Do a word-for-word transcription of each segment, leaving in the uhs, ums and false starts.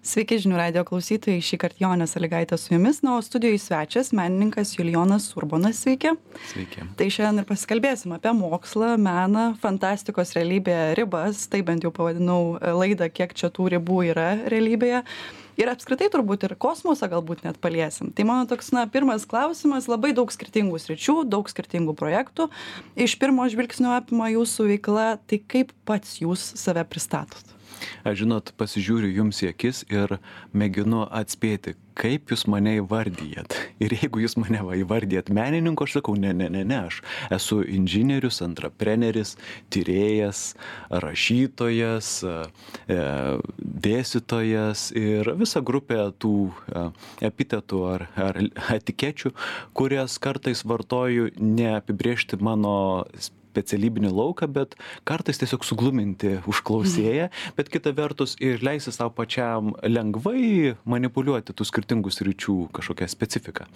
Sveiki žinių radio klausytojai, šį kartą Jonė Sąlygaitė su jumis, na, o studijoje svečias menininkas Julijonas Urbonas, sveiki. Sveiki. Tai šiandien ir pasikalbėsim apie mokslą, meną, fantastikos realybėje ribas, tai bent jau pavadinau laidą, kiek čia tų ribų yra realybėje. Ir apskritai turbūt ir kosmosą galbūt net paliesim. Tai mano toks, na, pirmas klausimas, labai daug skirtingų sričių, daug skirtingų projektų. Iš pirmo žvilgsnio apima jūsų veikla, tai kaip pats jūs save pristatot? Aš žinot, pasižiūriu jums į akis ir mėginu atspėti, kaip jūs mane įvardyjat. Ir jeigu jūs mane va, įvardyjat menininku, aš sakau, ne, ne, ne, ne, aš esu inžinierius, antrapreneris, tyrėjas, rašytojas, e, dėstytojas ir visa grupė tų e, epitetų ar, ar etikečių, kurias kartais vartoju neapibrėžti mano specialybinį lauką, bet kartais tiesiog sugluminti užklausėją, bet kita vertus ir leisti savo pačiam lengvai manipuliuoti tų skirtingų sričių kažkokią specifiką.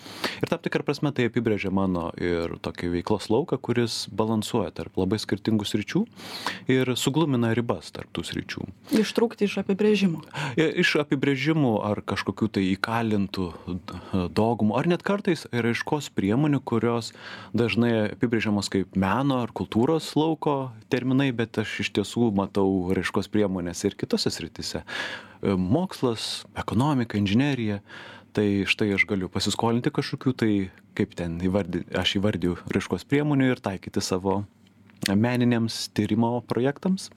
Ir tam tikrą prasme tai apibrėžia mano ir tokį veiklos lauką, kuris balansuoja tarp labai skirtingų sričių ir suglumina ribas tarp tų sričių. Ištrūkti iš apibrėžimo. Iš apibrėžimų ar kažkokių tai įkalintų dogmų, ar net kartais raiškos priemonių, kurios dažnai apibrėžiamos kaip meno ar kultūros lauko terminai, bet aš iš tiesų matau raiškos priemonės ir kitose sritise. Mokslas, ekonomika, inžinerija, tai štai aš galiu pasiskolinti kažkokių, tai kaip ten įvardy, aš įvardiju raiškos priemonių ir taikyti savo meniniams tyrimo projektams.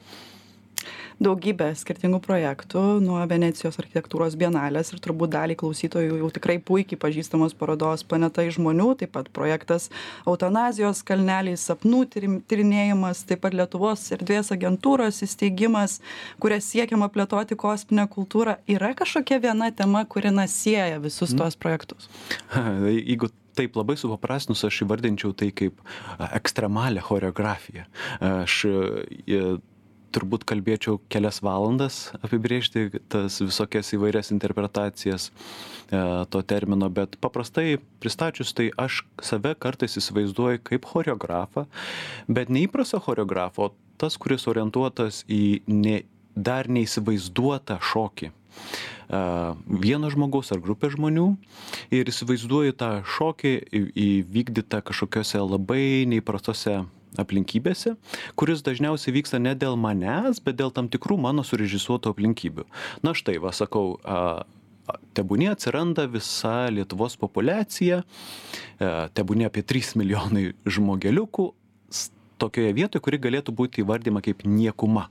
Daugybė skirtingų projektų, nuo Venecijos architektūros bienalės ir turbūt dalį klausytojų jau tikrai puikiai pažįstamos parodos Planeta iš žmonių, taip pat projektas Eutanazijos kalneliai, sapnų tyrinėjimas, taip pat Lietuvos erdvės agentūros įsteigimas, kuria siekiama plėtoti kosminę kultūrą. Yra kažkokia viena tema, kuri na sieja visus mm. tuos projektus? Jeigu taip labai supaprastinus, aš įvardinčiau tai kaip ekstremalią choreografiją. Aš turbūt kalbėčiau kelias valandas apibrėžti tas visokias įvairias interpretacijas e, to termino, bet paprastai pristačius, tai aš save kartais įsivaizduoju kaip choreografą, bet neįprastą choreografą, o tas, kuris orientuotas į ne, dar neįsivaizduotą šokį. Uh, vieno žmogaus ar grupė žmonių ir įsivaizduoju tą šokį įvykdytą kažkokiose labai neįprastose aplinkybėse, kuris dažniausiai vyksta ne dėl manęs, bet dėl tam tikrų mano surežisuotų aplinkybių. Na štai, va sakau, uh, tebūnie atsiranda visa Lietuvos populiacija, uh, tebūnie apie trys milijonai žmogeliukų tokioje vietoje, kuri galėtų būti įvardyma kaip niekuma.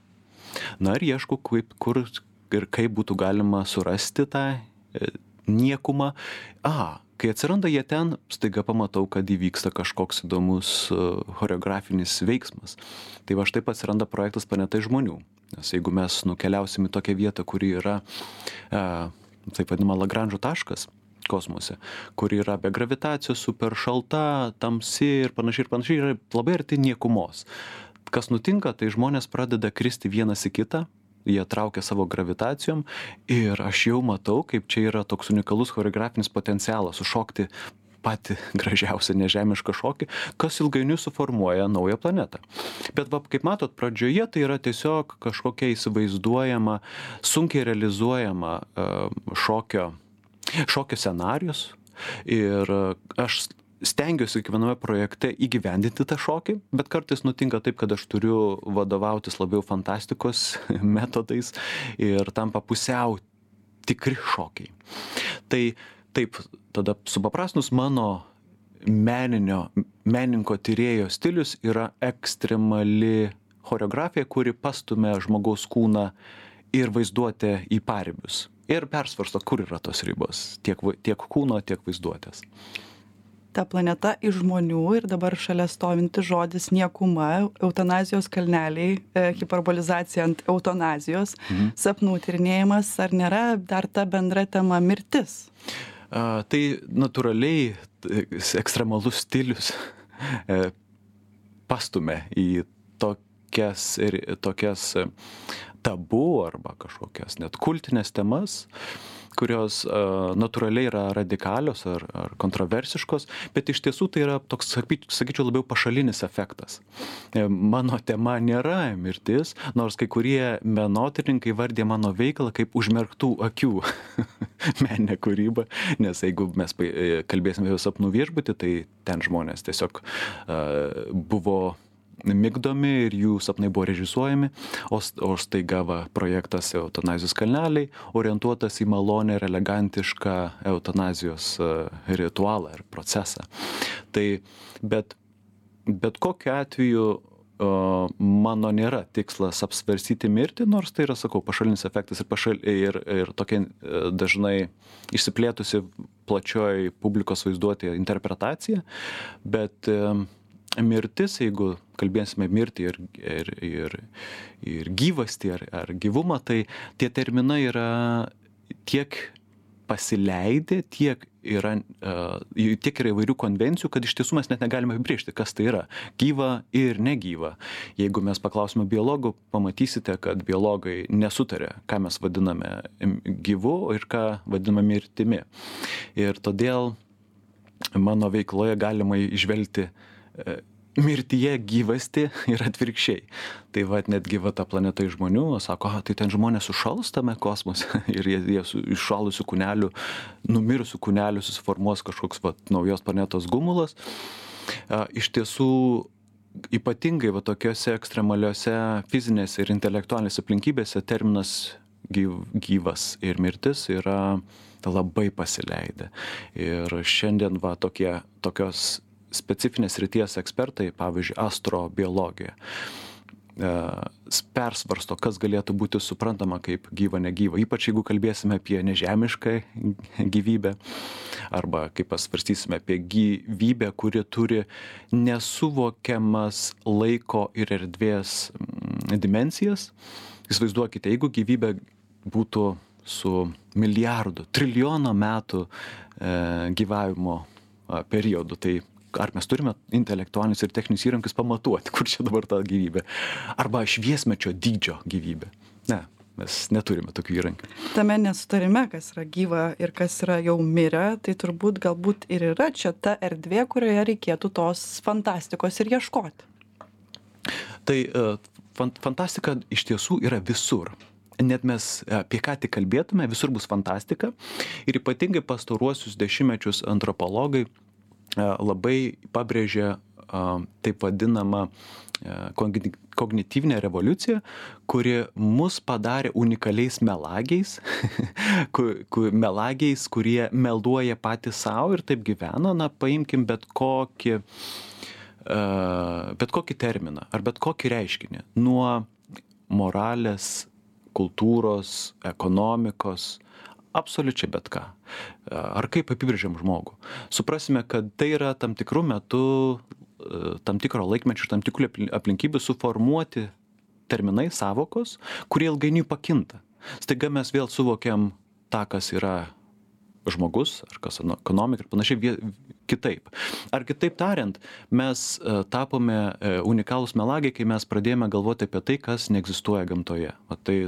Na ir ieškau, kaip, kur ir kaip būtų galima surasti tą e, niekumą. A, kai atsiranda jie ten, staiga pamatau, kad įvyksta kažkoks įdomus uh, choreografinis veiksmas. Tai va štai atsiranda projektas Planeta iš žmonių. Nes jeigu mes nukeliausim į tokią vietą, kuri yra, uh, taip vadinama, Lagranžo taškas kosmose, kuri yra be gravitacijos, super šalta, tamsi ir panašiai ir panašiai, yra labai arti niekumos. Kas nutinka, tai žmonės pradeda kristi vienas į kitą, jie traukia savo gravitacijom ir aš jau matau, kaip čia yra toks unikalus choreografinis potencialas sušokti patį gražiausią nežemišką šokį, kas ilgainiui suformuoja naują planetą. Bet va, kaip matot, pradžioje tai yra tiesiog kažkokia įsivaizduojama, sunkiai realizuojama uh, šokio, šokio scenarijus ir uh, aš stengiuosi kiekviename projekte įgyvendinti tą šokį, bet kartais nutinka taip, kad aš turiu vadovautis labiau fantastikos metodais ir tampa pusiau tikri šokiai. Tai taip, tada supaprastinus mano meninio, meninko tyrėjo stilius yra ekstremali choreografija, kuri pastumia žmogaus kūną ir vaizduotę į paribius. Ir persvarsto, kur yra tos ribos, tiek, tiek kūno, tiek vaizduotės. Ta planeta iš žmonių ir dabar šalia stovinti žodis niekuma, eutanazijos kalneliai, e, hiperbolizacija ant eutanazijos, mhm. sapnų tyrinėjimas, ar nėra dar ta bendra tema mirtis? A, tai natūraliai ekstremalus stilius e, pastumia į tokias, tokias tabu arba kažkokias net kultinės temas, kurios uh, natūraliai yra radikalios ar, ar kontroversiškos, bet iš tiesų tai yra toks, sakyčiau, labiau pašalinis efektas. Mano tema nėra mirtis, nors kai kurie menotyrininkai vardė mano veiklą kaip užmerktų akių meninę kūrybą, nes jeigu mes kalbėsime apie sapnų viešbutį, tai ten žmonės tiesiog uh, buvo migdomi ir jų sapnai buvo režisuojami, o, o staiga va, projektas Eutanazijos kalneliai orientuotas į malonę ir elegantišką eutanazijos ritualą ir procesą. Tai, bet, bet kokiu atveju o, mano nėra tikslas apsvarstyti mirtį, nors tai yra, sakau, pašalinis efektas ir, pašal, ir, ir tokia dažnai išsiplėtusi plačioj publikos vaizduotėje interpretacija, bet mirtis, jeigu kalbėsime mirtį ir, ir, ir, ir gyvastį ar, ar gyvumą, tai tie terminai yra tiek pasileidę, tiek yra, uh, tiek yra įvairių konvencijų, kad iš tiesų mes net negalime apibrėžti, kas tai yra gyva ir negyva. Jeigu mes paklausime biologų, pamatysite, kad biologai nesutarė, ką mes vadiname gyvu ir ką vadiname mirtimi. Ir todėl mano veikloje galima įžvelgti mirtyje gyvasti ir atvirkščiai. Tai va, netgi va ta planeta iš žmonių, sako, tai ten žmonės sušals tame kosmose ir jie, jie su iššalusių kūnelių, numirusių kūnelių susiformuos kažkoks va, naujos planetos gumulas. A, iš tiesų, ypatingai va tokiose ekstremaliuose fizinėse ir intelektualinėse aplinkybėse terminas gyv, gyvas ir mirtis yra labai pasileidę. Ir šiandien va tokie, tokios specifinės ryties ekspertai, pavyzdžiui, astrobiologija, persvarsto, kas galėtų būti suprantama kaip gyva, negyva. Ypač jeigu kalbėsime apie nežemišką gyvybę arba kaip pasvarstysime apie gyvybę, kuri turi nesuvokiamas laiko ir erdvės dimensijas. Įsivaizduokite, jeigu gyvybė būtų su milijardu, trilijono metų e, gyvavimo periodu, tai ar mes turime intelektualinius ir techninius įrankius pamatuoti, kur čia dabar ta gyvybė. Arba šviesmečio dydžio gyvybė. Ne, mes neturime tokių įrankių. Tame nesutarime, kas yra gyva ir kas yra jau mirę, tai turbūt galbūt ir yra čia ta erdvė, kurioje reikėtų tos fantastikos ir ieškoti. Tai fantastika iš tiesų yra visur. Net mes apie ką tik kalbėtume, visur bus fantastika. Ir ypatingai pastaruosius dešimtmečius antropologai labai pabrėžė taip vadinamą kognityvinę revoliuciją, kuri mus padarė unikaliais melagiais, melagiais, kurie meluoja patys savo ir taip gyvena. Na, paimkim bet kokį, bet kokį terminą ar bet kokį reiškinį. Nuo moralės, kultūros, ekonomikos, absoliučiai bet ką. Ar kaip apibrėžiam žmogų. Suprasime, kad tai yra tam tikrų metų, tam tikro laikmečio, tam tikrų aplinkybių suformuoti terminai, savokos, kurie ilgainiui pakinta. Staiga mes vėl suvokiam tą, kas yra žmogus, ar kas ekonomika ir panašiai kitaip. Ar kitaip tariant, mes tapome unikalūs melagiai, kai mes pradėjome galvoti apie tai, kas neegzistuoja gamtoje. O tai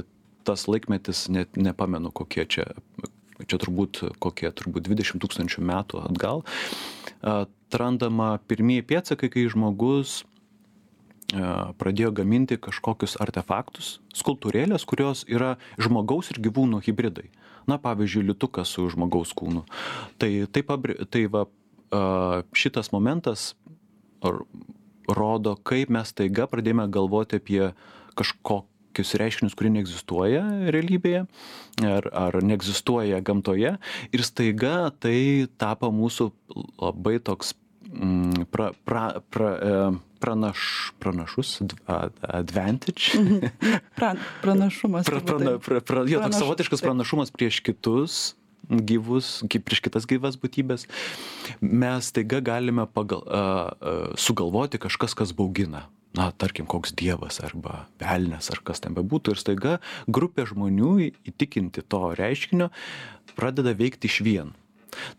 tas laikmetis, net nepamenu, kokie čia, čia turbūt, kokie turbūt dvidešimt tūkstančių metų atgal, atrandama pirmieji pėdsakai, kai žmogus pradėjo gaminti kažkokius artefaktus, skulptūrėlės, kurios yra žmogaus ir gyvūnų hibridai. Na, pavyzdžiui, liutukas su žmogaus kūnu. Tai, tai, tai va, šitas momentas rodo, kaip mes taiga pradėjome galvoti apie kažkokį reiškinius, kurie neegzistuoja realybėje ar, ar neegzistuoja gamtoje ir staiga tai tapo mūsų labai toks mm, pra, pra, pra, pranaš, pranašus, advantage. pra, pranašumas. pra, pra, pra, pra, jo, toks savotiškas pranašumas prieš kitus gyvus, prieš kitas gyvas būtybės. Mes staiga galime pagal, a, a, sugalvoti kažkas, kas baugina. Na, tarkim, koks dievas arba velnias ar kas ten bebūtų. Ir staiga grupė žmonių įtikinti to reiškinio pradeda veikti išvien.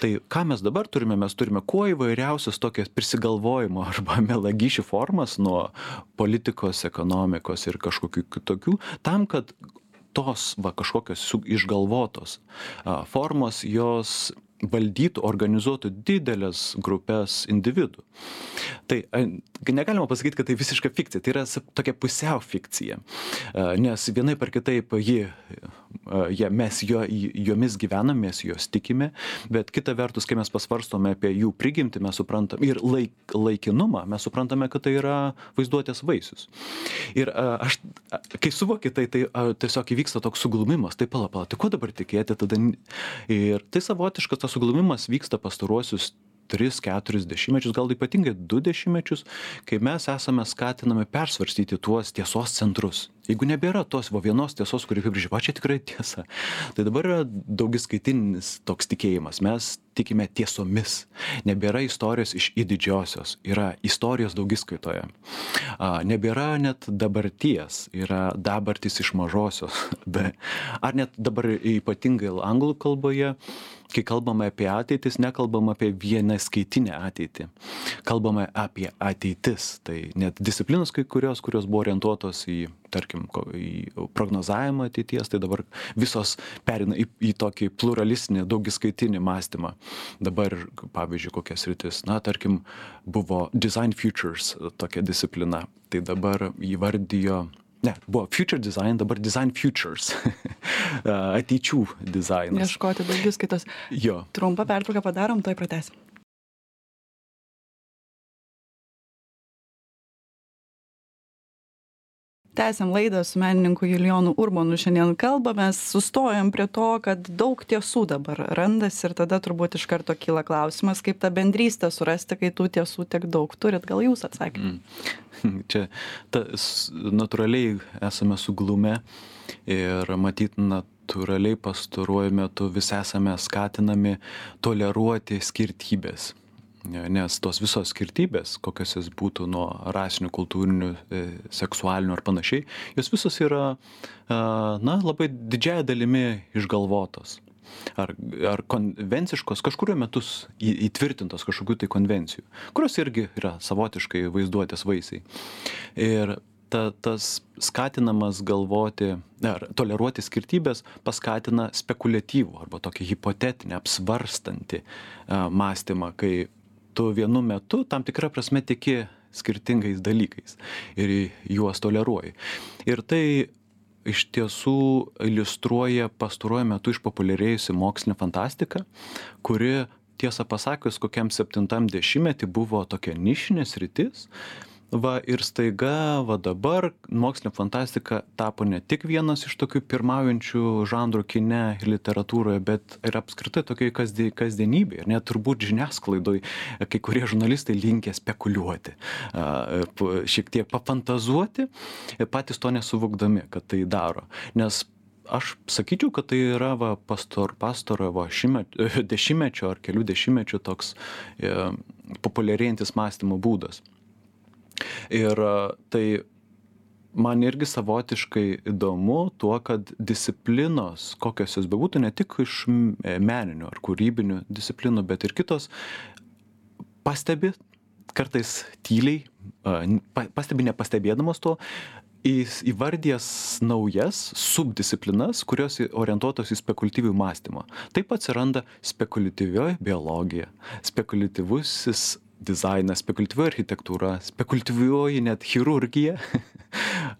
Tai ką mes dabar turime? Mes turime kuo įvairiausias tokias prisigalvojimo arba melagyšių formas nuo politikos, ekonomikos ir kažkokių kitokių, tam, kad tos va kažkokios išgalvotos formos, jos valdytų, organizuotų didelės grupės individų. Tai negalima pasakyti, kad tai visiška fikcija, tai yra tokia pusiau fikcija, nes vienai par kitaip ji, ja, mes jo, jomis gyvename, mes jos tikime, bet kita vertus, kai mes pasvarstome apie jų prigimtį, mes suprantame ir laik, laikinumą, mes suprantame, kad tai yra vaizduotės vaisius. Ir aš, kai suvokiu tai, tai tiesiog įvyksta toks suglumimas, tai pala, pala, tai ko dabar tikėti tada? Ir tai savotiškas tas suglumimas vyksta pastaruosius tris, keturis dešimtmečius, gal ypatingai du dešimtmečius, kai mes esame skatinami persvarstyti tuos tiesos centrus. Jeigu nebėra tos va vienos tiesos, kuri apibrėžia, va čia tikrai tiesa, tai dabar yra daugiskaitinis toks tikėjimas. Mes tikime tiesomis. Nebėra istorijos iš į didžiosios, yra istorijos daugiskaitoje. Nebėra net dabarties, yra dabartis iš mažosios. Ar net dabar ypatingai anglų kalboje, kai kalbame apie ateitis, nekalbame apie vieną skaitinę ateitį. Kalbame apie ateitis. Tai net disciplinos kai kurios, kurios buvo orientuotos į, tarkim, į prognozavimą ateities, tai dabar visos perina į, į tokį pluralistinį, daugiskaitinį mąstymą. Dabar, pavyzdžiui, kokias rytis, na, tarkim, buvo Design Futures tokia disciplina. Tai dabar įvardijo, ne, buvo Future Design, dabar Design Futures. Ateičių dizainas. Ieškoti daugiskaitos. Jo. Trumpą pertrauką padarom, toj pratęsim. Tęsiam laidą su menininku Julijonu Urbonu. Šiandien kalbamės, sustojom prie to, kad daug tiesų dabar randasi ir tada turbūt iš karto kyla klausimas, kaip tą bendrystę surasti, kai tų tiesų tiek daug turit. Gal jūs atsakymą? Mm. Čia ta, natūraliai esame suglumę ir matyt natūraliai pastaruoju metu vis esame skatinami toleruoti skirtybės. Nes tos visos skirtybės, kokios jis būtų nuo rasinių, kultūrinių, seksualinių ar panašiai, jos visos yra, na, labai didžiąja dalimi išgalvotos. Ar, ar konvenciškos, kažkurio metus įtvirtintos kažkokių tai konvencijų, kurios irgi yra savotiškai vaizduotės vaisiai. Ir ta, tas skatinamas galvoti, ar toleruoti skirtybės paskatina spekuliatyvų arba tokį hipotetinį, apsvarstantį mąstymą, kai tu vienu metu tam tikrą prasme tiki skirtingais dalykais ir juos toleruoji. Ir tai iš tiesų iliustruoja pastaruoju metu išpopuliarėjusi mokslinė fantastika, kuri, tiesą pasakius, kokiam septintam dešimtmetį buvo tokia nišinė sritis. Va ir staiga, va dabar mokslinė fantastika tapo ne tik vienas iš tokių pirmaujančių žanrų kine ir literatūroje, bet ir apskritai tokiai kasdienybėje. Ir net turbūt žiniasklaidoj kai kurie žurnalistai linkę spekuliuoti, šiek tiek pafantazuoti, patys to nesuvokdami, kad tai daro. Nes aš sakyčiau, kad tai yra va, pastor, pastoro va, šimet, dešimtmečio ar kelių dešimtmečių toks e, populiarėjantis mąstymo būdas. Ir tai man irgi savotiškai įdomu tuo, kad disciplinos, kokios jos bebūtų, ne tik iš meninių ar kūrybinių disciplinų, bet ir kitos, pastebi, kartais tyliai, pastebi nepastebėdamas to, įvardijas naujas subdisciplinas, kurios orientuotos į spekuliatyvų mąstymą. Taip atsiranda spekuliatyvioji biologija, spekuliatyvusis dizainas, spekuliatyvioji architektūra, spekuliatyvioji net chirurgija.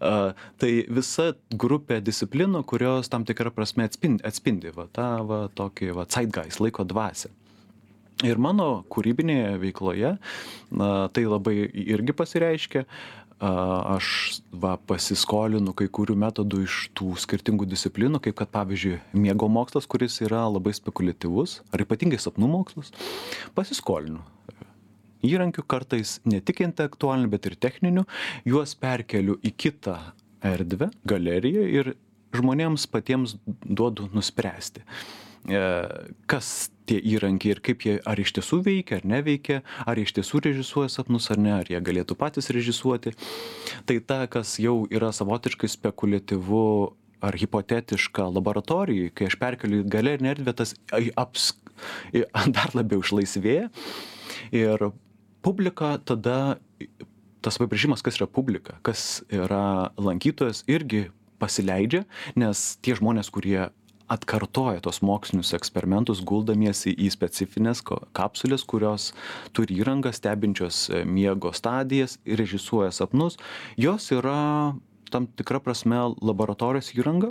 Tai visa grupė disciplinų, kurios tam tikrą prasme atspindi, atspindi va, tą va, tokį va, zeitgeist, laiko dvasią. Ir mano kūrybinėje veikloje na, tai labai irgi pasireiškia. Aš va, pasiskolinu kai kurių metodų iš tų skirtingų disciplinų, kaip kad pavyzdžiui miego mokslas, kuris yra labai spekuliatyvus, ar ypatingai sapnų mokslas, pasiskolinu įrankių, kartais ne tik intelektualinių, bet ir techninių, juos perkeliu į kitą erdvę, galeriją ir žmonėms patiems duodu nuspręsti, kas tie įrankiai ir kaip jie ar iš tiesų veikia, ar neveikia, ar iš tiesų režisuoja sapnus, ar ne, ar jie galėtų patys režisuoti. Tai ta, kas jau yra savotiškai spekuliatyvu ar hipotetiška laboratorijai, kai aš perkeliu į galerinę erdvę, tas aps, dar labiau išlaisvėja. Ir publika tada, tas apibrėžimas, kas yra publika, kas yra lankytojas, irgi pasileidžia, nes tie žmonės, kurie atkartoja tos mokslinius eksperimentus, guldamiesi į specifines kapsulės, kurios turi įrangą stebinčios miego stadijas ir režisuoja sapnus, jos yra tam tikra prasme laboratorijos įranga.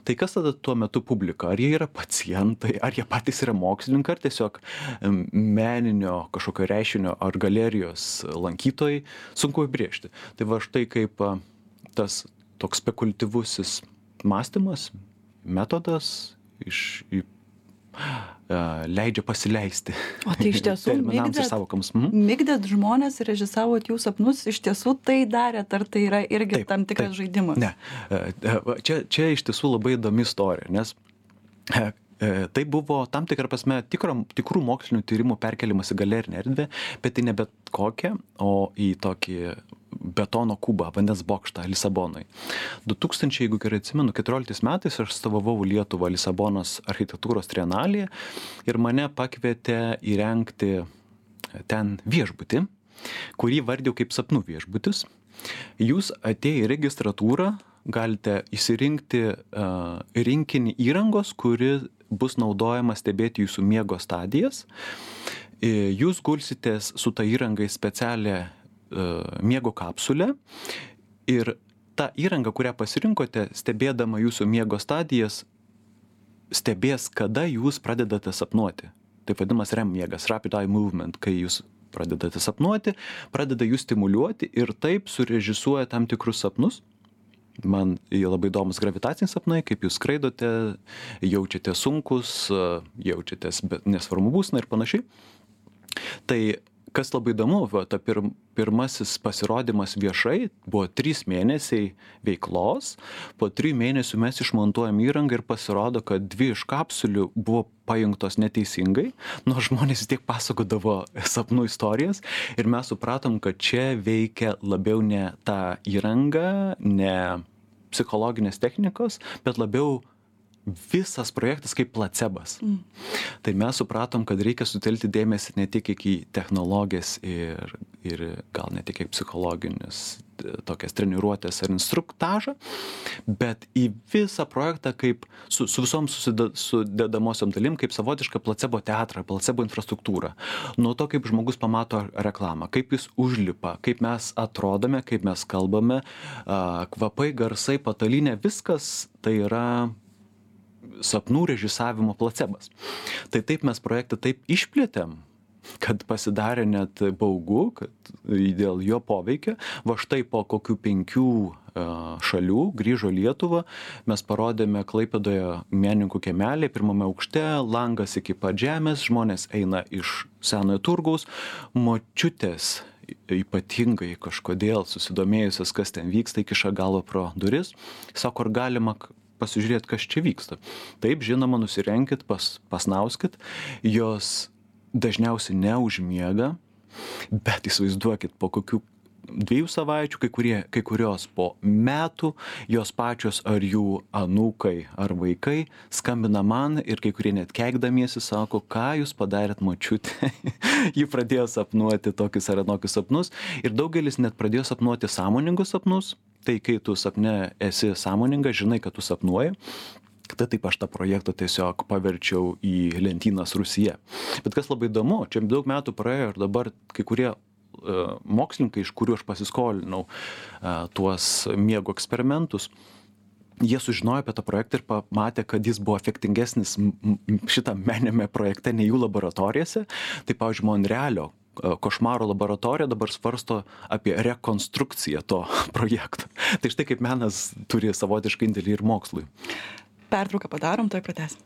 Tai kas tada tuo metu publika? Ar jie yra pacientai, ar jie patys yra mokslininkai, ar tiesiog meninio kažkokio reiškinio ar galerijos lankytojai? Sunku įbrėžti. Tai va štai kaip tas toks spekuliatyvusis mąstymas, metodas iš, į, uh, leidžia pasileisti. O tai iš tiesų migdėt, mhm. migdėt žmonės ir režisavot jų sapnus, iš tiesų tai darėt, ar tai yra irgi taip, tam tikras taip. žaidimas? Ne, čia, čia iš tiesų labai įdomi istorija, nes tai buvo tam tikrą prasme tikro, tikrų mokslinių tyrimų perkelimas į galerinę erdvę, bet tai ne bet kokią, o į tokį betono kubą, vandens bokštą Lisabonoj. du tūkstančiai, jeigu gerai atsimenu, keturioliktais metais aš atstovavau Lietuvą Lisabonos architektūros trienalėje ir mane pakvietė įrengti ten viešbutį, kurį vardėjau kaip sapnų viešbutis. Jūs atėję į registratūrą galite įsirinkti uh, rinkinį įrangos, kuri bus naudojama stebėti jūsų miego stadijas. Jūs gulsitės su ta įranga į specialią miego kapsulę ir ta įranga, kurią pasirinkote, stebėdama jūsų miego stadijas, stebės, kada jūs pradedate sapnuoti. Taip vadinamas R E M miegas, Rapid Eye Movement, kai jūs pradedate sapnuoti, pradeda jūs stimuliuoti ir taip surežisuoja tam tikrus sapnus. Man jie labai įdomus gravitaciniai sapnai, kaip jūs skraidote, jaučiate sunkus, jaučiatės nesvarbu būsena ir panašiai. Tai kas labai įdomu, va, ta pir, pirmasis pasirodymas viešai buvo trys mėnesiai veiklos, po trijų mėnesių mes išmontuojam įrangą ir pasirodo, kad dvi iš kapsulių buvo pajungtos neteisingai, nors žmonės vis tiek pasakodavo sapnų istorijas ir mes supratom, kad čia veikia labiau ne ta įranga, ne psichologinės technikos, bet labiau visas projektas kaip placebas. Mm. Tai mes supratom, kad reikia sutelkti dėmesį ne tik į technologijas ir, ir gal ne tik į psichologinius tokias treniruotės ar instruktažą, bet į visą projektą kaip su, su visom sudedamosiom dalim, kaip savotišką placebo teatrą, placebo infrastruktūrą. Nuo to, kaip žmogus pamato reklamą, kaip jis užlipa, kaip mes atrodome, kaip mes kalbame, kvapai, garsai, patalinė, viskas tai yra sapnų režisavimo placebas. Tai taip mes projektą taip išplėtėm, kad pasidarė net baugu, kad dėl jo poveikio. Va štai po kokių penkių šalių grįžo Lietuvą, mes parodėme Klaipėdoje menininkų kiemelį, pirmame aukšte, langas iki pat žemės, žmonės eina iš senojo turgaus, močiutės ypatingai kažkodėl susidomėjusios, kas ten vyksta, įkiša galvą pro duris, sako, ar galima pasižiūrėti, kas čia vyksta. Taip, žinoma, nusirenkit, pas, pasnauskit, jos dažniausiai neužmiega, bet įsivaizduokit, po kokių dviejų savaičių, kai, kurie, kai kurios po metų, jos pačios ar jų anūkai ar vaikai skambina man ir kai kurie net keikdamiesi sako, ką jūs padarėt močiutė. Ji pradėjo sapnuoti tokius ar anokius sapnus ir daugelis net pradėjo sapnuoti sąmoningus sapnus. Tai kai tu sapne esi sąmoningas, žinai, kad tu sapnuoji, tai taip aš tą projektą tiesiog paverčiau į lentynas Rusija. Bet kas labai įdomu, čia daug metų praėjo ir dabar kai kurie uh, mokslininkai, iš kurių aš pasiskolinau uh, tuos miego eksperimentus, jie sužinojo apie tą projektą ir pamatė, kad jis buvo efektingesnis šitą meniniame projekte nei jų laboratorijose. Tai, pavyzdžiui, Monrealio košmaro laboratorija dabar svarsto apie rekonstrukciją to projekto. Tai štai kaip menas turi savotišką indėlį ir mokslui. Pertrauką padarom, tuoj pratęsim.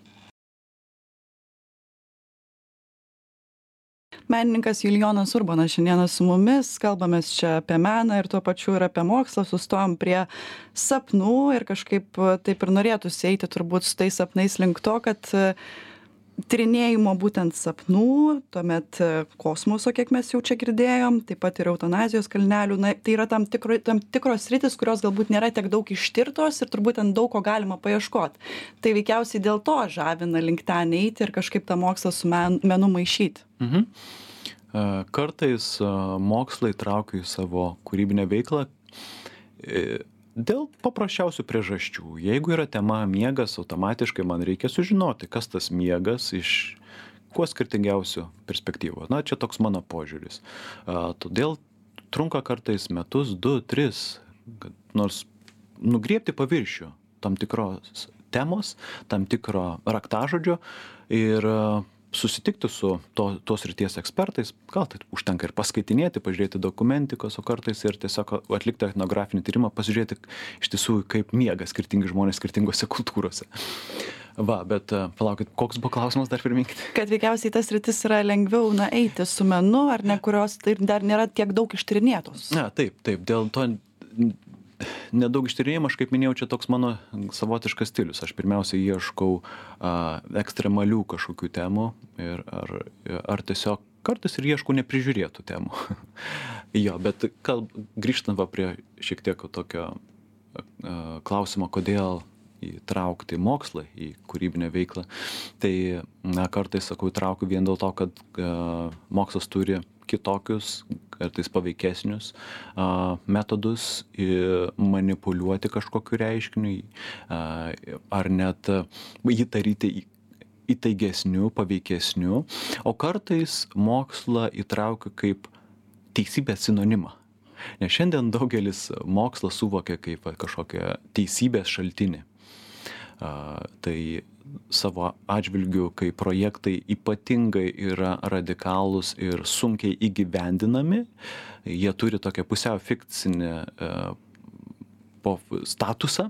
Menininkas Julijonas Urbonas šiandieną su mumis, kalbamės čia apie meną ir tuo pačiu ir apie mokslą, sustojom prie sapnų ir kažkaip taip ir norėtųsi eiti turbūt su tais sapnais link to, kad tyrinėjimo būtent sapnų, tuomet kosmoso, kiek mes jau čia girdėjom, taip pat ir eutanazijos kalnelių, na, tai yra tam, tikro, tam tikros sritis, kurios galbūt nėra tiek daug ištirtos ir turbūt ten daug ko galima paieškoti. Tai veikiausiai dėl to žavina link ten eiti ir kažkaip tą mokslą su men, menu maišyti. Mhm. Kartais mokslai traukia į savo kūrybinę veiklą Dėl paprasčiausių priežasčių. Jeigu yra tema miegas, automatiškai man reikia sužinoti, kas tas miegas iš kuo skirtingiausių perspektyvų. Na, čia toks mano požiūris. A, todėl trunka kartais metus, du, tris, kad nors nugriebti paviršių tam tikros temos, tam tikro raktažodžio ir a, susitikti su to, tos ryties ekspertais, gal tai užtenka ir paskaitinėti, pažiūrėti dokumentikos, o kartais ir tiesiog atlikti etnografinį tyrimą, pasižiūrėti iš tiesų, kaip miega skirtingi žmonės skirtingose kultūrose. Va, bet palaukit, koks buvo klausimas, dar priminkite? Kad veikiausiai tas rytis yra lengviau, na, eiti su menu, ar ne, kurios tai dar nėra tiek daug ištyrinėtos. Na, taip, taip, dėl to nedaug ištyrinėjimo, aš kaip minėjau, čia toks mano savotiškas stilius. Aš pirmiausia ieškau a, ekstremalių kažkokių temų ir ar, ar tiesiog kartais ir ieškau neprižiūrėtų temų. Jo, bet kalb, grįžtant va prie šiek tiek tokio a, klausimo, kodėl įtraukti mokslą į kūrybinę veiklą, tai na, kartais, sakau, įtraukiu vien dėl to, kad a, mokslas turi kitokius, kartais paveikesnius a, metodus manipuliuoti kažkokiu reiškiniu, a, ar net jį daryti įtaigesniu, paveikesniu, o kartais mokslą įtraukiu kaip teisybės sinonimą. Nes šiandien daugelis mokslą suvokia kaip kažkokią teisybės šaltinį. A, tai savo atžvilgiu, kai projektai ypatingai yra radikalūs ir sunkiai įgyvendinami, jie turi tokią pusiau fikcinę e, statusą,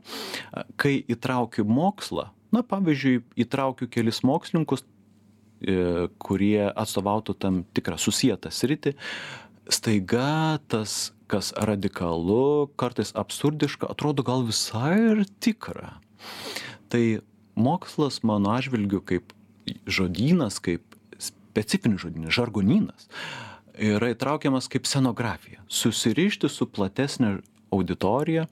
kai įtraukiu mokslą, na pavyzdžiui, įtraukiu kelis mokslininkus, e, kurie atstovautų tam tikrą susietą sritį, staiga tas, kas radikalu, kartais absurdiška, atrodo gal visai ir tikra. Tai mokslas mano atžvilgiu kaip žodynas, kaip specifinis žodynas, žargonynas, yra įtraukiamas kaip scenografija. Susirišti su platesnė auditorija.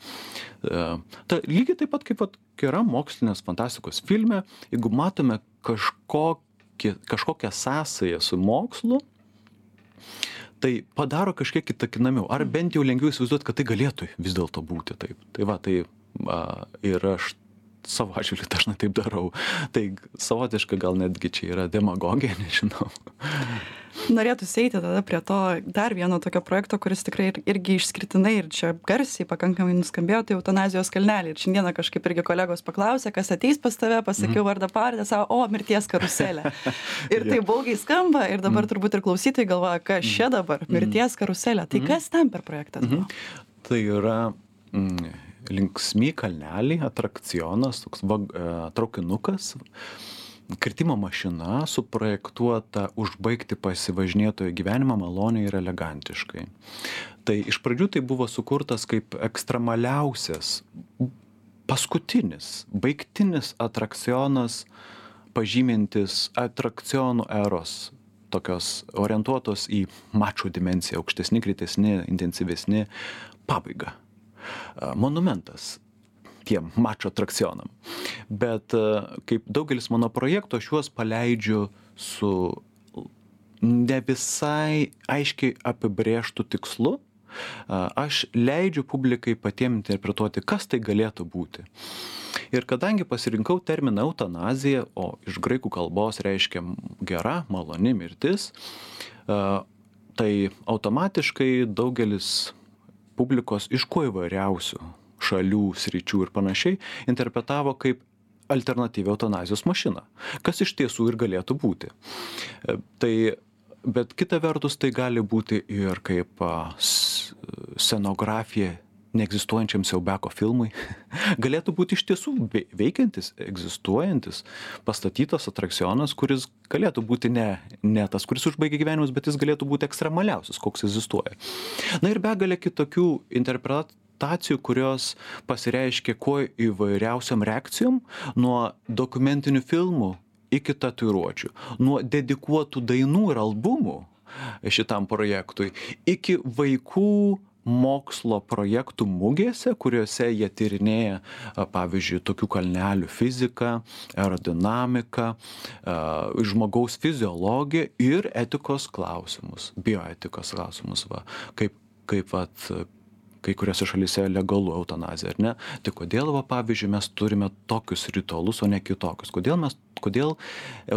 Ta, lygiai taip pat kaip yra mokslinės fantastikos filme, jeigu matome kažkokį, kažkokią sąsają su mokslu, tai padaro kažkiek įtakinamiau. Ar bent jau lengviau įsivaizduoti, kad tai galėtų vis dėlto būti taip. Tai va, tai a, ir aš savo atžvilgiu dažnai taip darau. Tai savotiška gal netgi čia yra demagogija, nežinau. Norėtųsi eiti tada prie to dar vieno tokio projekto, kuris tikrai irgi išskirtinai ir čia garsiai pakankamai nuskambėjo, tai eutanazijos kalneliai. Ir šiandieną kažkaip irgi kolegos paklausė, kas ateis pas tave, pasakiau mm. vardą pavardę, savo, o, mirties karuselė. Ir tai baugiai skamba ir dabar mm. turbūt ir klausytojai galvoja, kas čia dabar, mirties karuselė. Tai mm. kas ten per projektas buvo? Mm. Tai yra mm, linksmi kalneliai, atrakcionas, toks va, traukinukas, kirtimo mašina suprojektuota užbaigti pasivažinėtojo gyvenimą maloniai ir elegantiškai. Tai iš pradžių tai buvo sukurtas kaip ekstremaliausias, paskutinis, baigtinis atrakcionas, pažymintis atrakcionų eros, tokios orientuotos į mačo dimensiją, aukštesni, greitesni, intensyvesni, pabaiga. Monumentas tiem mačo atrakcionam. Bet kaip daugelis mano projektų, aš juos paleidžiu su ne visai aiškiai apibrėžtų tikslu. Aš leidžiu publikai patiem interpretuoti, kas tai galėtų būti. Ir kadangi pasirinkau terminą eutanazija, o iš graikų kalbos reiškia gera, maloni mirtis, tai automatiškai daugelis publikos iš kuo įvairiausių šalių, sričių ir panašiai interpretavo kaip alternatyvią eutanazijos mašiną, kas iš tiesų ir galėtų būti. Tai, bet kita vertus tai gali būti ir kaip scenografija neegzistuojančiam siaubeko filmui. Galėtų būti iš tiesų veikiantis, egzistuojantis, pastatytas atrakcionas, kuris galėtų būti ne, ne tas, kuris užbaigia gyvenimus, bet jis galėtų būti ekstremaliausias, koks egzistuoja. Na ir begalė kitokių interpretacijų, kurios pasireiškia kuo įvairiausiam reakcijom, nuo dokumentinių filmų iki tatuiruočių, nuo dedikuotų dainų ir albumų šitam projektui, iki vaikų mokslo projektų mugėse, kuriuose jie tyrinėja, pavyzdžiui, tokių kalnelių fiziką, aerodinamiką, žmogaus fiziologiją ir etikos klausimus, bioetikos klausimus, va, kaip, kaip, vat, kai kuriuose šalyse legalu eutanazija, ar ne? Tai kodėl, va, pavyzdžiui, mes turime tokius ritualus, o ne kitokius? Kodėl, mes, kodėl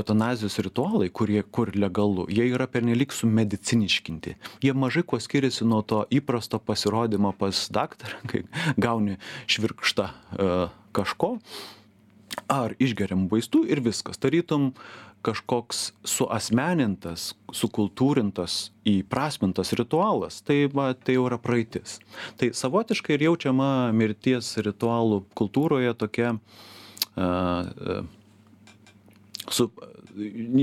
eutanazijos ritualai, kurie kur legalu, jie yra pernelyg sumediciniškinti? Jie mažai kuo skiriasi nuo to įprasto pasirodymo pas daktarą, kai gauni švirkštą e, kažko, ar išgeriam vaistų ir viskas. Tarytum kažkoks suasmenintas, sukultūrintas, įprasmintas ritualas, tai, va, tai jau yra praeitis. Tai savotiškai ir jaučiama mirties ritualų kultūroje tokia uh, uh, su,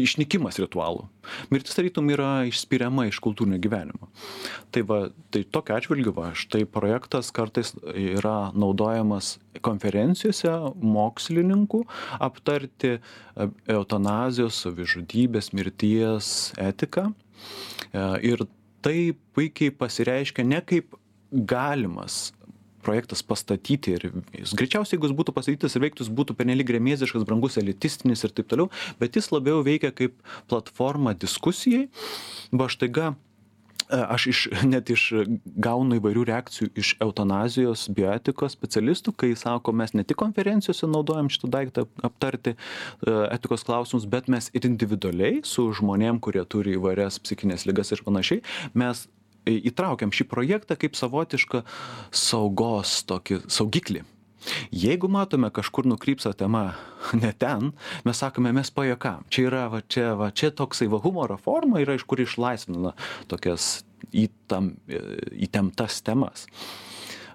išnykimas ritualų. Mirtis tarytum yra išspiriama iš kultūrinio gyvenimo. Tai, va, tai tokia atžvilgiu, va, štai projektas kartais yra naudojamas konferencijose mokslininkų aptarti eutanazijos, savižudybės, mirties etiką. Ir tai puikiai pasireiškia ne kaip galimas projektas pastatyti ir jis greičiausiai, jeigu jis būtų pastatytas ir veiktus, būtų pernelyg gremėziškas, brangus, elitistinis ir taip toliau, bet jis labiau veikia kaip platforma diskusijai. Va štaiga, aš iš, net iš gaunu įvairių reakcijų iš eutanazijos bioetikos specialistų, kai sako, mes ne tik konferencijose naudojam šitą daiktą aptarti etikos klausimus, bet mes ir individualiai su žmonėm, kurie turi įvairias psichinės ligas ir panašiai, mes įtraukiam šį projektą kaip savotišką saugos tokį saugiklį. Jeigu matome kažkur nukrypsa tema ne ten, mes sakome, mes pajuokam. Čia yra, va, čia, va, čia toksai va, humoro forma yra, iš kur išlaisvina tokias įtam, įtemptas temas.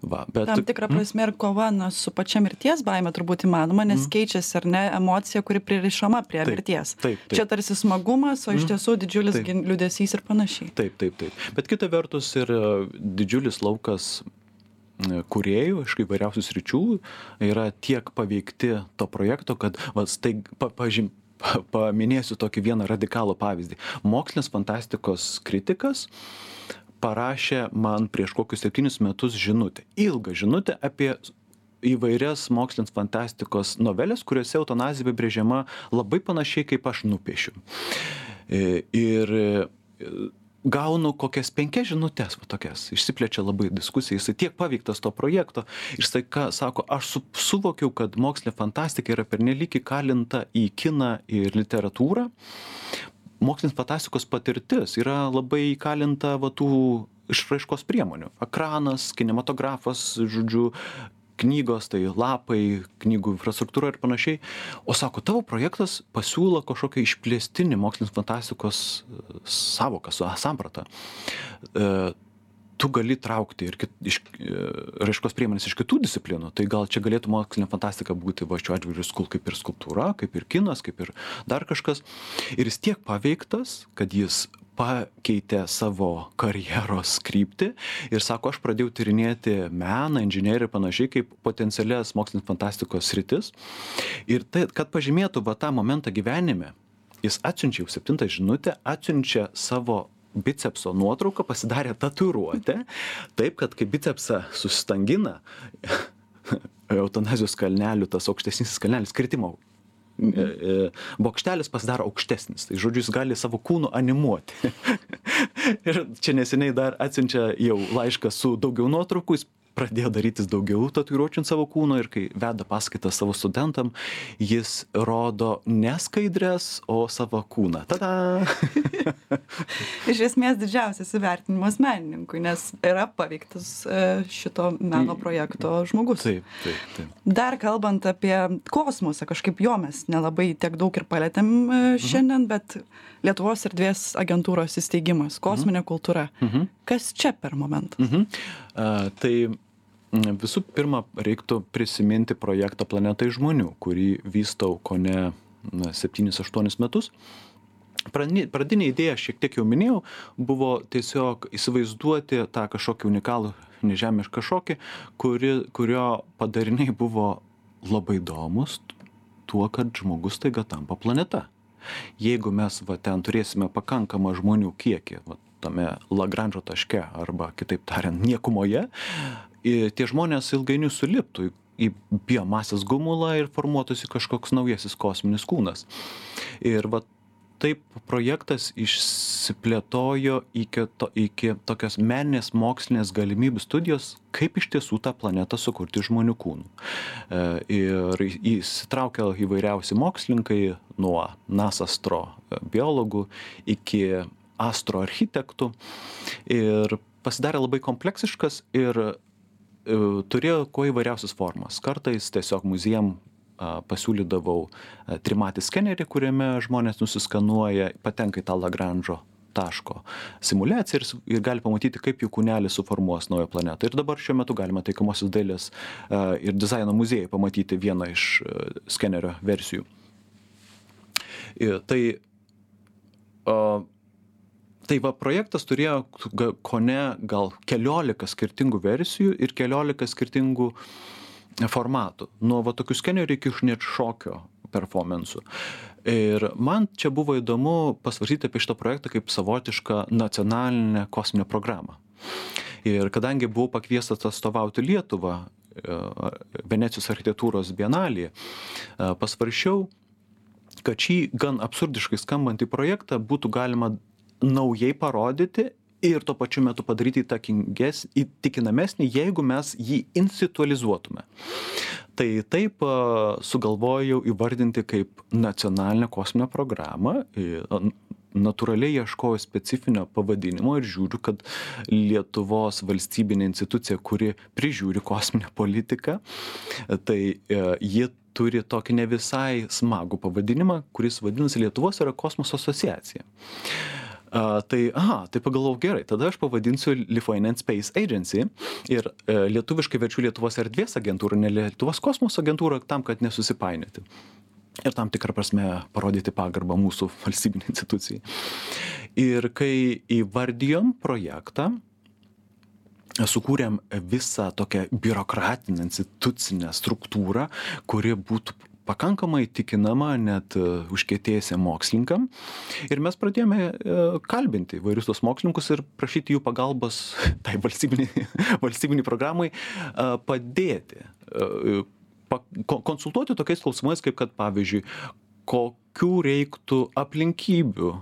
Va, bet... Tam tikrą prasme ir kova na, su pačia mirties baime turbūt įmanoma, nes mm. keičiasi ar ne emocija, kuri pririšama prie taip, mirties. Taip, taip. Čia tarsi smagumas, o iš tiesų didžiulis taip. Liūdesys ir panašiai. Taip, taip, taip. Bet kita vertus ir didžiulis laukas kūrėjų iš įvairiausių sričių yra tiek paveikti to projekto, kad va, staig, pa, pažym, pa, paminėsiu tokį vieną radikalų pavyzdį. Mokslinės fantastikos kritikas parašė man prieš kokius septynis metus žinutę, ilgą žinutę apie įvairias mokslinės fantastikos novelės, kuriuose eutanazija apibrėžiama labai panašiai, kaip aš nupiešiu. Ir gaunu kokias penkias žinutės, tokias, išsiplečia labai diskusija, jisai tiek paveiktas to projekto, ir jisai ką sako, aš su, suvokiau, kad mokslinė fantastika yra pernelyg įkalinta į kiną ir literatūrą. Mokslinės fantastikos patirtis yra labai įkalinta va, tų išraiškos priemonių. Ekranas, kinematografas, žodžiu, knygos, tai lapai, knygų infrastruktūra ir panašiai. O sako, tavo projektas pasiūlo kažkokią išplėstinį mokslinės fantastikos savoką, sampratą. E, tu gali traukti ir kit, iš, raiškos priemonės iš kitų disciplinų, tai gal čia galėtų mokslinė fantastika būti va šiuo atveju skul, kaip ir skulptūra, kaip ir kinas, kaip ir dar kažkas. Ir jis tiek paveiktas, kad jis pakeitė savo karjeros kryptį ir sako, aš pradėjau tyrinėti meną, inžineriją ir panašiai kaip potencialias mokslinės fantastikos sritis. Ir tai, kad pažymėtų va tą momentą gyvenime, jis atsiunčia jau septintą žinutę, atsiunčia savo bicepso nuotrauką, pasidarė tatuiruotę, taip, kad kai bicepsą susistangina, eutanazijos kalnelių, tas aukštesnis kalnelis, kritimo bokštelis pasidaro aukštesnis. Tai žodžiu, jis gali savo kūnu animuoti. Ir čia neseniai dar atsiunčia jau laišką su daugiau nuotraukų, jis pradėjo darytis daugiau tatuiruočių ant savo kūno ir kai veda paskaitas savo studentam, jis rodo ne skaidres, o savo kūną. Tada! Iš esmės didžiausias įvertinimas menininkui, nes yra paveiktas šito meno projekto žmogus. Taip, taip, taip. Dar kalbant apie kosmosą, kažkaip jo mes nelabai tiek daug ir palėtėm šiandien, mhm. bet Lietuvos erdvės agentūros įsteigimas, kosminė mhm. kultūra. Mhm. Kas čia per momentą? Mhm. Uh, tai visų pirma, reiktų prisiminti projektą Planeta iš žmonių, kurį vystau kone septynis aštuonis metus. Pradinė idėja, šiek tiek jau minėjau, buvo tiesiog įsivaizduoti tą kažkokį unikalų nežemišką šokį, kuri, kurio padariniai buvo labai įdomus tuo, kad žmogus taiga tampa planeta. Jeigu mes va, ten turėsime pakankamą žmonių kiekį, va, tame Lagranžo taške arba, kitaip tariant, niekumoje, tie žmonės ilgainiui suliptų į biomasės gumulą ir formuotųsi kažkoks naujasis kosminis kūnas. Ir va, taip projektas išsi išsiplėtojo iki, to, iki tokios meninės mokslinės galimybių studijos, kaip iš tiesų tą planetą sukurti žmonių kūnų. Ir įsitraukia įvairiausi mokslininkai, nuo NASA astrobiologų iki astroarchitektų. Ir pasidarė labai kompleksiškas ir turėjo kuo įvairiausias formas. Kartais tiesiog muziejam pasiūlydavau trimatį skenerį, kuriame žmonės nusiskanuoja, patenka į tą Lagranžo taško simuliaciją ir, ir gali pamatyti, kaip jų kūnelis suformuos naują planetą. Ir dabar šiuo metu galima taikomosios dailės ir dizaino muziejai pamatyti vieną iš skenerio versijų. Ir tai, o, tai va, projektas turėjo kone gal keliolika skirtingų versijų ir keliolika skirtingų formatų, nuo va tokių skenerių iki net šokio performansų. Ir man čia buvo įdomu pasvarstyti apie šitą projektą kaip savotišką nacionalinę kosminę programą. Ir kadangi buvau pakviestas atstovauti Lietuvą Venecijos architektūros bienalėje, pasvaršiau, kad šį gan absurdiškai skambantį projektą būtų galima naujai parodyti ir tuo pačiu metu padaryti įtikinamesnį, jeigu mes jį institualizuotume. Tai taip sugalvojau įvardinti kaip nacionalinę kosminę programą. Natūraliai ieškojau specifinio pavadinimo ir žiūriu, kad Lietuvos valstybinė institucija, kuri prižiūri kosminę politiką, tai ji turi tokį ne visai smagų pavadinimą, kuris vadinasi Lietuvos yra kosmoso asociacija. Uh, tai, aha, tai pagalvojau gerai, tada aš pavadinsiu Lithuanian Space Agency ir uh, lietuviškai verčiu Lietuvos erdvės agentūrą, ne Lietuvos kosmoso agentūrą, tam, kad nesusipainioti. Ir tam tikrą prasme parodyti pagarbą mūsų valstybinei institucijai. Ir kai įvardijom projektą, sukūrėm visą tokią biurokratinę institucinę struktūrą, kuri būtų pakankamai tikinama net užkietėjusiem mokslininkam. Ir mes pradėjome kalbinti įvairius tos mokslininkus ir prašyti jų pagalbos tai valstybiniai, valstybiniai programai padėti, konsultuoti tokiais klausimais, kaip kad pavyzdžiui, kokių reiktų aplinkybių,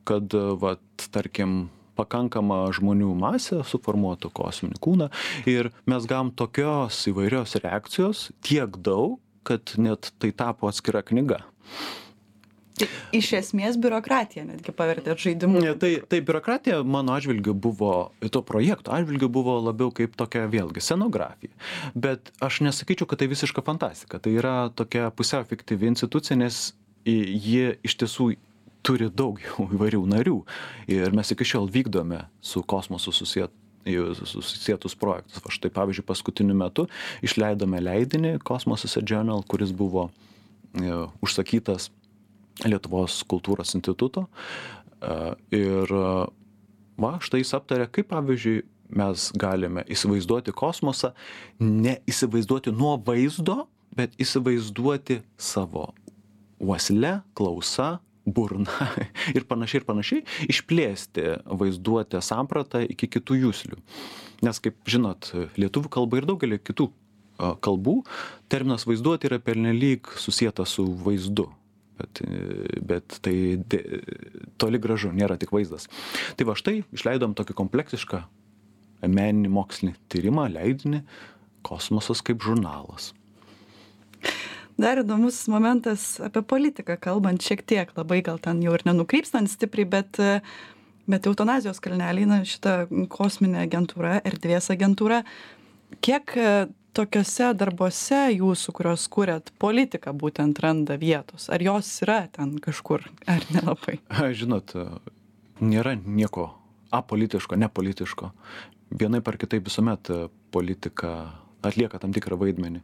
kad, vat, tarkim, pakankama žmonių masė suformuotų kosminį kūną. Ir mes gavom tokios įvairios reakcijos, tiek daug, kad net tai tapo atskira knyga. Iš esmės biurokratija netgi pavertėt žaidimu. Tai, tai biurokratija mano atžvilgiu buvo, to projekto atžvilgiu buvo labiau kaip tokia vėlgi scenografija. Bet aš nesakyčiau, kad tai visiška fantastika. Tai yra tokia pusiau fiktyvi institucija, nes ji iš tiesų turi daug įvairių narių. Ir mes iki šiol vykdome su kosmosu susiet susietus projektus. Va štai, pavyzdžiui, paskutiniu metu išleidome leidinį Cosmos Journal, kuris buvo e, užsakytas Lietuvos kultūros instituto. E, ir va, štai jis aptarė, kaip, pavyzdžiui, mes galime įsivaizduoti kosmosą, ne įsivaizduoti nuo vaizdo, bet įsivaizduoti savo uosle, klausa, burna ir panašiai ir panašiai, išplėsti vaizduotę sampratą iki kitų juslių. Nes, kaip žinot, lietuvių kalba ir daugelį kitų kalbų terminas vaizduoti yra pernelyg susietas su vaizdu. Bet, bet tai de, toli gražu, nėra tik vaizdas. Tai va štai išleidom tokį kompleksišką meninį mokslinį tyrimą, leidinį Kosmosas kaip žurnalas. Dar įdomus momentas apie politiką kalbant, šiek tiek labai gal ten jau ir nenukrypstant stipriai, bet, bet eutanazijos kalneliai, na, šita kosminė agentūra, erdvės agentūra, kiek tokiuose darbuose jūsų, kurios kūrėt, politika būtent randa vietos? Ar jos yra ten kažkur, ar nelabai? Žinot, nėra nieko apolitiško, nepolitiško. Vienaip ar kitaip visuomet politika atlieka tam tikrą vaidmenį.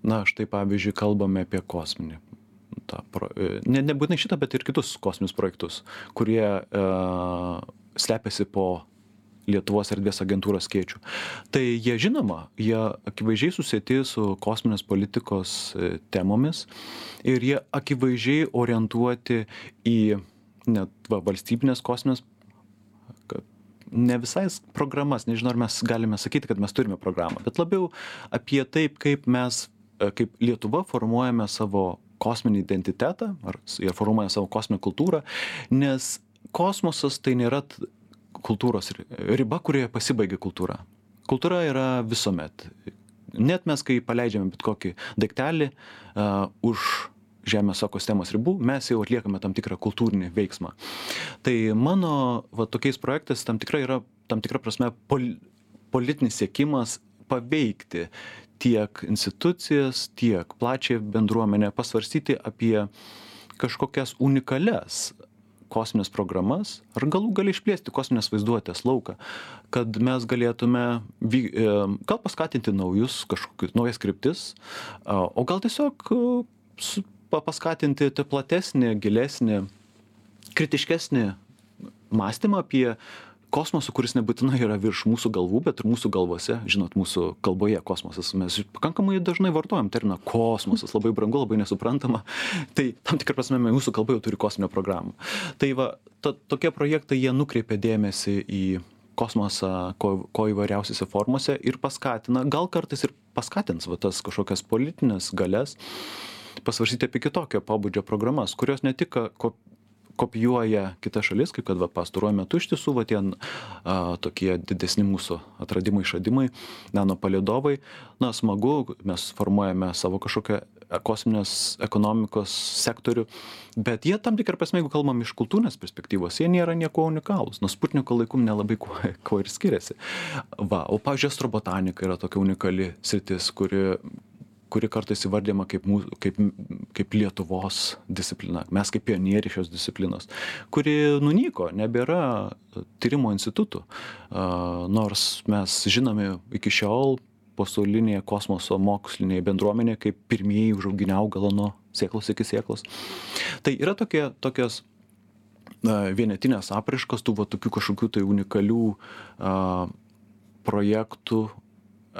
Na, štai pavyzdžiui, kalbame apie kosminį. Ta, ne, nebūtinai šitą, bet ir kitus kosminius projektus, kurie e, slepiasi po Lietuvos erdvės agentūros skėčių. Tai jie, žinoma, jie akivaizdžiai susieti su kosminės politikos temomis ir jie akivaizdžiai orientuoti į net va, valstybinės kosminės, ne visai programas, nežinau, ar mes galime sakyti, kad mes turime programą, bet labiau apie taip, kaip mes kaip Lietuva formuojame savo kosminį identitetą, ar jie formuoja savo kosminę kultūrą, nes kosmosas tai nėra kultūros riba, kurioje pasibaigia kultūra. Kultūra yra visuomet. Net mes, kai paleidžiame bet kokį daiktelį uh, už Žemės ekosistemos ribų, mes jau atliekame tam tikrą kultūrinį veiksmą. Tai mano va, tokiais projektais tam tikra yra, tam tikra prasme, pol, politinis siekimas paveikti tiek institucijas, tiek plačią bendruomenę, pasvarstyti apie kažkokias unikalias kosminės programas, ar galų gali išplėsti kosminės vaizduotės lauką, kad mes galėtume gal paskatinti naujus, kažkokius naujas kryptis, o gal tiesiog paskatinti platesnį, gilesnį, kritiškesnį mąstymą apie kosmosą, kuris nebūtinai yra virš mūsų galvų, bet ir mūsų galvose. Žinot, mūsų kalboje kosmosas. Mes pakankamai dažnai vartojam terminą kosmosas, labai brangu, labai nesuprantama. Tai tam tikrą prasme mūsų kalba jau turi kosminę programą. Tai va, to, tokie projektai, jie nukreipia dėmesį į kosmosą, ko, ko įvairiausiose formose ir paskatina, gal kartais ir paskatins va, tas kažkokias politinės galias, pasvarsyti apie kitokio pobūdžio programas, kurios ne tik ko, kopijuoja kitas šalis, kaip kad va, pastaruoju metu iš tiesų va, tie a, tokie didesni mūsų atradimai, išradimai, nanopalydovai. Na, smagu, mes formuojame savo kažkokią kosminės ekonomikos sektorių, bet jie tam tikrą prasme, jeigu kalbam iš kultūrinės perspektyvos, jie nėra nieko unikalūs. Nuo Sputniko laikų nelabai kuo, kuo ir skiriasi. Va, o pavyzdžiui, astrobotanika yra tokia unikali sritis, kuri kuri kartais įvardyma kaip, mūsų, kaip, kaip Lietuvos disciplina, mes kaip pionieriai šios disciplinos, kuri nunyko, nebėra tyrimo institutų, nors mes žinome iki šiol pasaulinėje kosmoso mokslinėje bendruomenėje kaip pirmieji užauginę augalą nuo sėklos iki sėklos. Tai yra tokie, tokios vienetinės apraiškos tų va, tokių kažkokių tai unikalių a, projektų,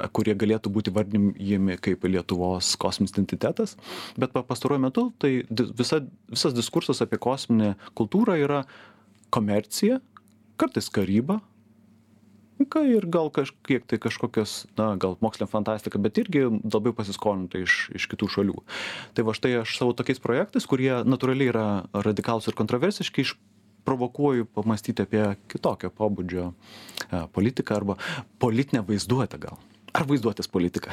kurie galėtų būti vardinami kaip Lietuvos kosminis identitetas, bet pastaruoju metu tai visa, visas diskursas apie kosminę kultūrą yra komercija, kartais karyba, ir gal kažkiek tai kažkokios, na, gal mokslinė fantastika, bet irgi labai pasiskolinta iš, iš kitų šalių. Tai va štai aš savo tokiais projektais, kurie natūraliai yra radikalūs ir kontroversiški, išprovokuoju pamastyti apie kitokio pobūdžio politiką arba politinę vaizduotę gal. Ar vaizduotės politika?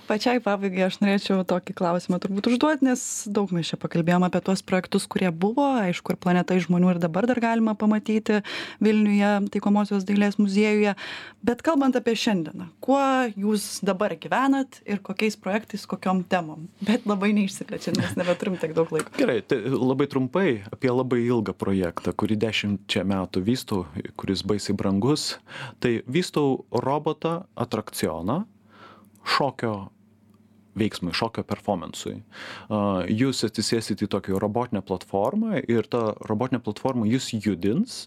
Pačiai pabaigai aš norėčiau tokį klausimą turbūt užduoti, nes daug mes čia pakalbėjom apie tuos projektus, kurie buvo, aišku, ir Planeta iš žmonių ir dabar dar galima pamatyti Vilniuje, Taikomosios dailės muziejuje. Bet kalbant apie šiandieną, kuo jūs dabar gyvenat ir kokiais projektais, kokiom temom? Bet labai neišsiplečiant, nes nebeturim tiek daug laiko. Gerai, tai labai trumpai apie labai ilgą projektą, kurį dešimčia metų vystau, kuris baisiai brangus. Tai vystau robotą atrakcioną šokio veiksmui, šokio performansui. Jūs atsisėsite į tokią robotinę platformą ir ta robotinė platforma jūs judins,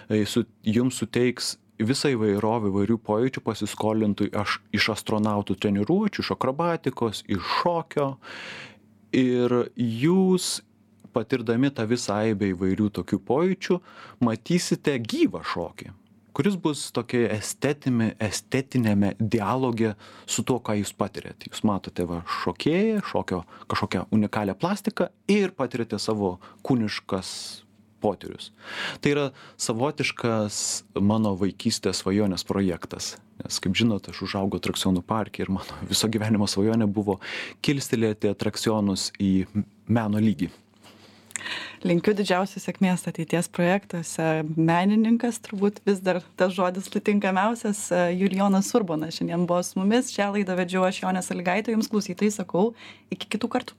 jums suteiks visą įvairovę įvairių pojūčių pasiskolintų iš astronautų treniruočių, iš akrobatikos, iš šokio. Ir jūs, patirdami tą visą aibę įvairių tokių pojūčių, matysite gyvą šokį, kuris bus tokia estetinė, estetinėme dialoge su tuo, ką jūs patirėte. Jūs matote va, šokėją, šokio kažkokią unikalią plastiką ir patirėte savo kūniškas potyrius. Tai yra savotiškas mano vaikystės svajonės projektas. Nes, kaip žinot, aš užaugau atrakcionų parke ir mano viso gyvenimo svajonė buvo kilstelėti atrakcionus į meno lygį. Linkiu didžiausios sėkmės ateities projektuose. Menininkas, turbūt vis dar tas žodis tinkamiausias. Julijonas Urbonas šiandien buvo su mumis. Šią laidą vedžiau aš, Jonė Sąlygaitė. Jums klausytojai sakau, iki kitų kartų.